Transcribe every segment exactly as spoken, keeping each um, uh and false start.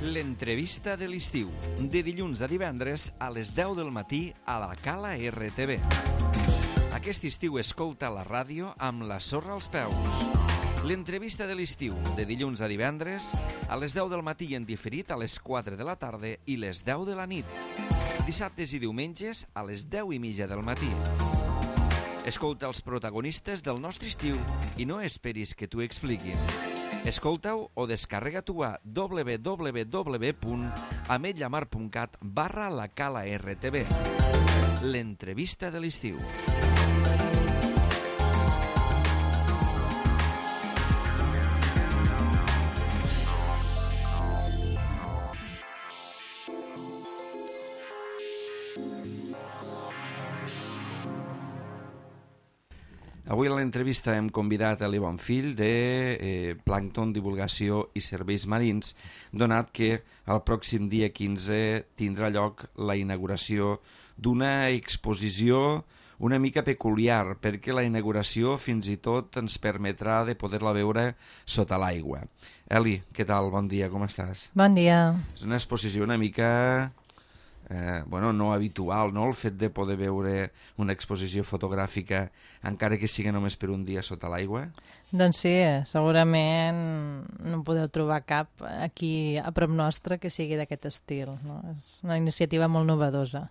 L'entrevista de l'estiu, de dilluns a divendres a les deu del matí a la Cala R T V. Aquest estiu escolta la ràdio amb la sorra als peus. L'entrevista de l'estiu, de dilluns a divendres a les deu del matí en diferit a les quatre de la tarda i les deu de la nit. Dissabtes i diumenges a les deu i mitja del matí. Escolta els protagonistes del nostre estiu i no esperis que t'ho expliquin. Escolta-ho o descarrega-t'ho a w w w punt ametlla mar punt cat barra la Cala R T V. L'entrevista de l'estiu. Avui a l'entrevista hem convidat a l'Ivon Fill de eh, Plàncton, Divulgació i Serveis Marins, donat que el pròxim dia quinze tindrà lloc la inauguració d'una exposició una mica peculiar, perquè la inauguració fins i tot ens permetrà de poder-la veure sota l'aigua. Eli, què tal? Bon dia, com estàs? Bon dia. És una exposició una mica... Eh, bueno, no habitual, no? El fet de poder veure una exposició fotogràfica encara que sigui només per un dia sota l'aigua? Doncs sí, segurament no podeu trobar cap aquí a prop nostre que sigui d'aquest estil, no? És una iniciativa molt novedosa.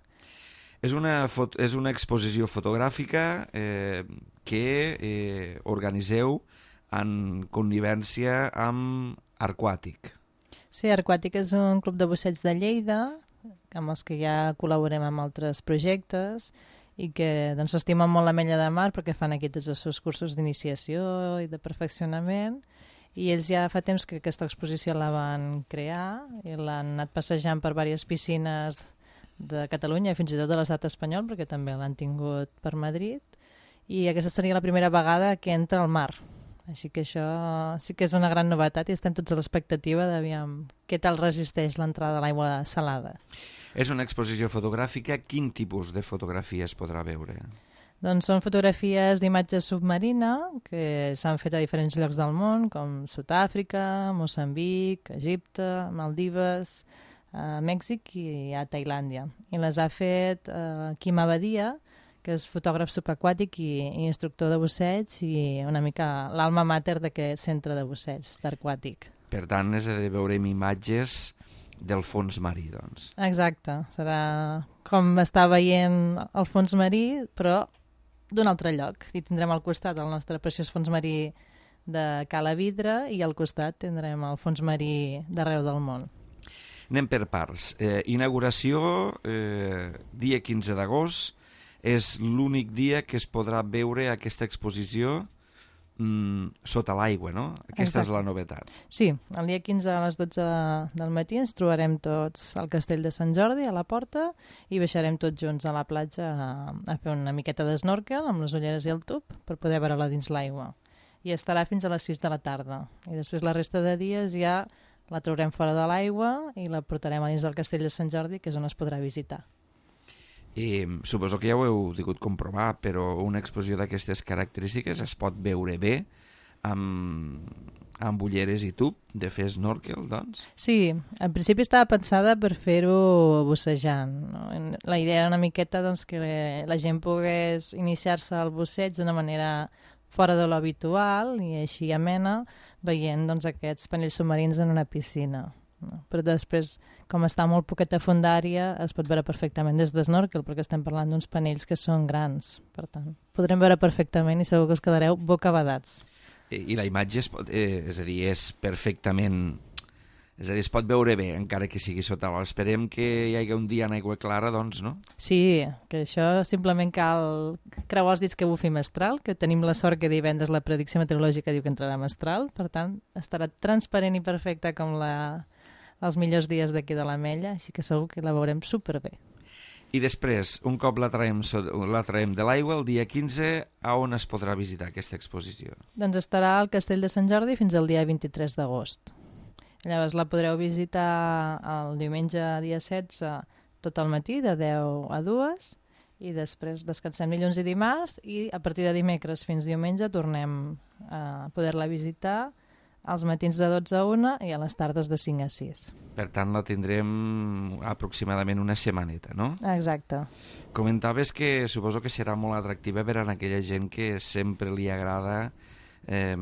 És una, fot és una exposició fotogràfica eh, que eh, organiseu en connivència amb Arquàtic. Sí, Arquàtic és un club de busseig de Lleida amb els que ja col·laborem amb altres projectes i que doncs, s'estimen molt l'Ametlla de Mar perquè fan aquí tots els seus cursos d'iniciació i de perfeccionament i ells ja fa temps que aquesta exposició la van crear i l'han anat passejant per diverses piscines de Catalunya i fins i tot de l'estat espanyol perquè també l'han tingut per Madrid i aquesta seria la primera vegada que entra al mar. Així que això sí que és una gran novetat i estem tots a l'expectativa d'aviam què tal resisteix l'entrada de l'aigua salada. És una exposició fotogràfica. Quin tipus de fotografia es podrà veure? Doncs són fotografies d'imatge submarina que s'han fet a diferents llocs del món, com Sud-àfrica, Moçambic, Egipte, Maldives, a Mèxic i a Tailàndia. I les ha fet eh, Quim Abadia, que és fotògraf subaquàtic i, i instructor de busseig i una mica l'alma mater d'aquest centre de busseig d'Arquàtic. Per tant, és de veurem imatges del fons marí, doncs. Exacte, serà com estar veient el fons marí, però d'un altre lloc. I tindrem al costat el nostre preciós fons marí de Cala Vidre i al costat tindrem el fons marí d'arreu del món. Anem per parts. Eh, inauguració, eh, dia quinze d'agost, és l'únic dia que es podrà veure aquesta exposició mm, sota l'aigua, no? Aquesta Exacte. És la novetat. Sí, el dia quinze a les dotze del matí ens trobarem tots al Castell de Sant Jordi, a la porta, i baixarem tots junts a la platja a, a fer una miqueta d'esnorkel amb les ulleres i el tub per poder veure-la dins l'aigua. I estarà fins a les sis de la tarda. I després la resta de dies ja la traurem fora de l'aigua i la portarem a dins del Castell de Sant Jordi, que és on es podrà visitar. I suposo que ja ho heu pogut comprovar, però una exposició d'aquestes característiques es pot veure bé amb, amb ulleres i tub de fer snorkel, doncs? Sí, en principi estava pensada per fer-ho bussejant. No? La idea era una miqueta doncs, que la gent pogués iniciar-se al busseig d'una manera fora de lo habitual i així amena, veient doncs, aquests panells submarins en una piscina. No? Però després, com està molt poqueta fondària, es pot veure perfectament des d'esnorkel, perquè estem parlant d'uns panells que són grans. Per tant, podrem veure perfectament i segur que us quedareu bocabadats. I, i la imatge, es, pot, eh, és a dir, és perfectament... És a dir, es pot veure bé, encara que sigui sota l'aigua. Esperem que hi hagi un dia en aigua clara, doncs, no? Sí, que això simplement cal creuar els dits que bufi mestral, que tenim la sort que divendres la predicció meteorològica diu que entrarà mestral, per tant, estarà transparent i perfecta com la... els millors dies d'aquí de l'Ametlla, així que segur que la veurem superbé. I després, un cop la traiem, la traiem de l'aigua, el dia quinze, a on es podrà visitar aquesta exposició? Doncs estarà al Castell de Sant Jordi fins al dia vint-i-tres d'agost. Llavors la podreu visitar el diumenge dia setze tot el matí, de deu a dues, i després descansem dilluns i dimarts, i a partir de dimecres fins diumenge tornem a poder-la visitar als matins de dotze a una i a les tardes de cinc a sis. Per tant, la tindrem aproximadament una setmaneta, no? Exacte. Comentaves que suposo que serà molt atractiva per a aquella gent que sempre li agrada eh,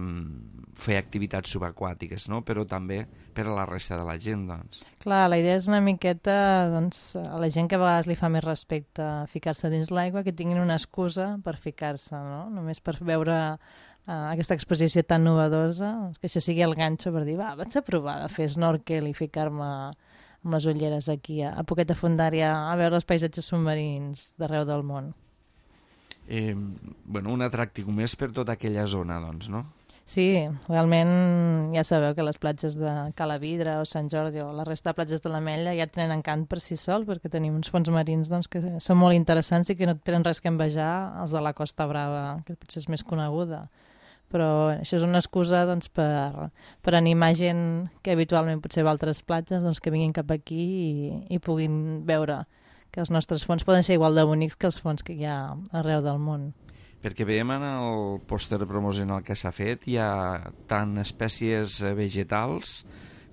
fer activitats subaquàtiques, no? Però també per a la resta de la gent, doncs. Clar, la idea és una miqueta, doncs, a la gent que a vegades li fa més respecte a ficar-se dins l'aigua, que tinguin una excusa per ficar-se, no? Només per veure uh, aquesta exposició tan novedosa, que això sigui el ganxo per dir, va, vaig a provar de fer snorkel i ficar-me amb les ulleres aquí a, a Poqueta Fondària a veure els paisatges submarins d'arreu del món. Eh, bueno, un atractiu més per tota aquella zona, doncs, no? Sí, realment ja sabeu que les platges de Cala Vidre o Sant Jordi o la resta de platges de l'Ametlla ja tenen encant per si sols perquè tenim uns fons marins doncs, que són molt interessants i que no tenen res que envejar els de la Costa Brava, que potser és més coneguda. Però això és una excusa doncs, per, per animar gent que habitualment potser va a altres platges doncs, que vinguin cap aquí i, i puguin veure que els nostres fons poden ser igual de bonics que els fons que hi ha arreu del món. Perquè veiem en el pòster promocional que s'ha fet, hi ha tant espècies vegetals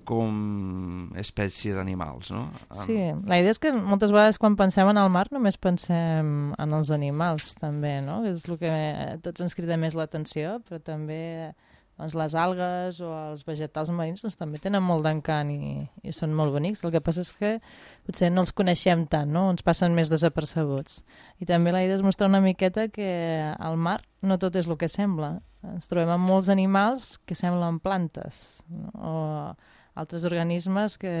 com espècies animals, no? Sí, la idea és que moltes vegades quan pensem en el mar només pensem en els animals també, no? És el que tots ens crida més l'atenció, però també doncs, les algues o els vegetals marins doncs, també tenen molt d'encant i, i són molt bonics. El que passa és que potser no els coneixem tant, no? Ens passen més desapercebuts. I també la idea és mostrar una miqueta que al mar no tot és el que sembla. Ens trobem amb molts animals que semblen plantes, no? O altres organismes que,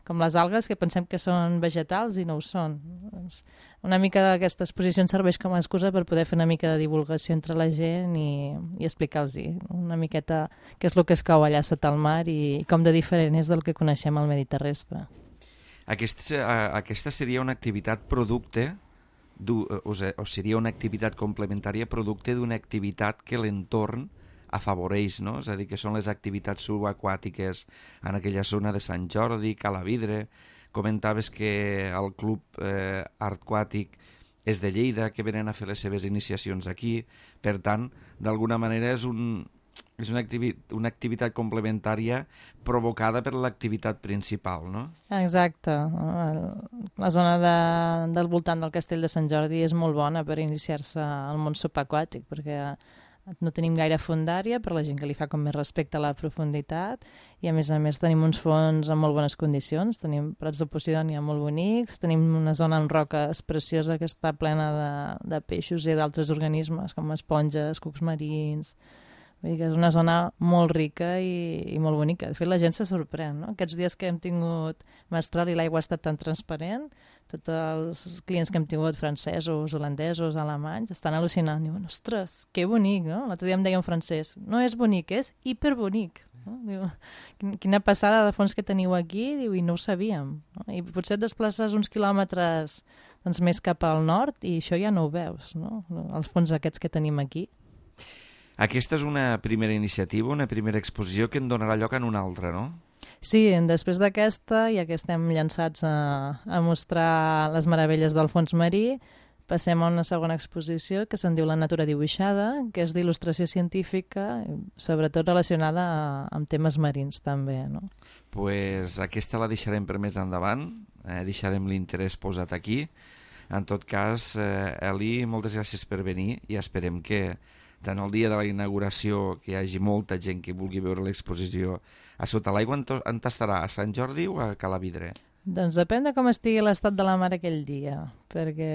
com les algues, que pensem que són vegetals i no ho són. Doncs una mica d'aquesta exposició ens serveix com a excusa per poder fer una mica de divulgació entre la gent i, i explicar-los una miqueta què és el que es cau allà sota el mar i com de diferent és del que coneixem al medi terrestre. Aquesta, aquesta seria una activitat producte, o seria una activitat complementària producte d'una activitat que l'entorn afavoreix, no? És a dir, que són les activitats subaquàtiques en aquella zona de Sant Jordi, Cala Vidre. Comentaves que el club eh, artquàtic és de Lleida, que venen a fer les seves iniciacions aquí. Per tant, d'alguna manera és, un, és una, activi una activitat complementària provocada per l'activitat principal, no? Exacte. La zona de, del voltant del castell de Sant Jordi és molt bona per iniciar-se al món subaquàtic, perquè no tenim gaire fondària per la gent que li fa com més respecte a la profunditat i a més a més tenim uns fons en molt bones condicions, tenim prats de Posidònia molt bonics, tenim una zona amb roques preciosa que està plena de, de peixos i d'altres organismes com esponges, cucs marins. Vull dir que és una zona molt rica i, i molt bonica. De fet, la gent se sorprèn, no? Aquests dies que hem tingut mestral i l'aigua ha estat tan transparent, tots els clients que hem tingut francesos, holandesos, alemanys, estan al·lucinant. Diuen, ostres, que bonic, no? L'altre dia em deia un francès, no és bonic, és hiperbonic. No? Diu, quina passada de fons que teniu aquí, diu, i no ho sabíem. No? I potser et desplaces uns quilòmetres doncs, més cap al nord i això ja no ho veus, no? Els fons aquests que tenim aquí. Aquesta és una primera iniciativa, una primera exposició que en donarà lloc en una altra, no? Sí, després d'aquesta, ja que estem llançats a, a mostrar les meravelles del fons marí, passem a una segona exposició que se'n diu La natura dibuixada, que és d'il·lustració científica, sobretot relacionada a, amb temes marins també, no? Pues aquesta la deixarem per més endavant, eh, deixarem l'interès posat aquí. En tot cas, eh, Eli, moltes gràcies per venir i esperem que tant el dia de la inauguració que hi hagi molta gent que vulgui veure l'exposició a sota l'aigua. On estarà? A Sant Jordi o a Cala Vidre? Doncs depèn de com estigui l'estat de la mar aquell dia, perquè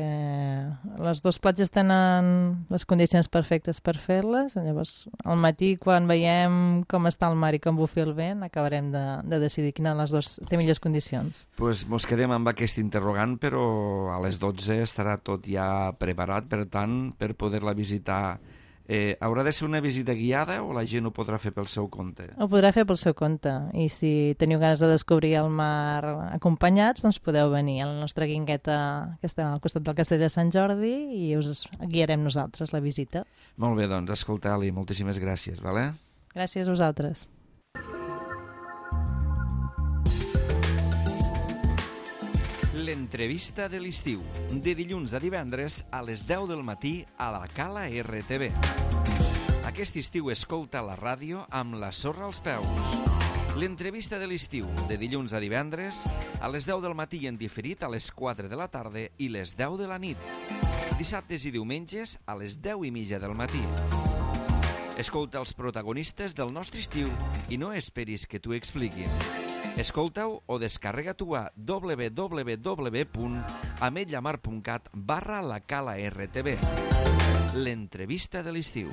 les dues platges tenen les condicions perfectes per fer-les. Llavors, al matí, quan veiem com està el mar i com bufi el vent, acabarem de, de decidir quina de les dues té millors condicions. Doncs pues mos quedem amb aquest interrogant, però a les dotze estarà tot ja preparat, per tant, per poder-la visitar. Eh, haurà de ser una visita guiada o la gent ho podrà fer pel seu compte? Ho podrà fer pel seu compte i si teniu ganes de descobrir el mar acompanyats, doncs podeu venir a la nostra guingueta que està al costat del castell de Sant Jordi i us guiarem nosaltres la visita. Molt bé, doncs, escolta, Ali, moltíssimes gràcies, vale? Gràcies a vosaltres. L'entrevista de l'estiu, de dilluns a divendres a les deu del matí a la Cala R T V. Aquest Aquest estiu escolta la ràdio amb la sorra als peus. L'entrevista de l'estiu, de dilluns a divendres, a les deu del matí en diferit a les quatre de la tarda i les deu de la nit. Dissabtes i diumenges a les deu i mitja del matí. Escolta els protagonistes del nostre estiu i no esperis que t'ho expliquin. Escolta-ho o descarrega-t'ho a w w w punt ametlla mar punt cat barra la cala R T V. L'entrevista de l'estiu.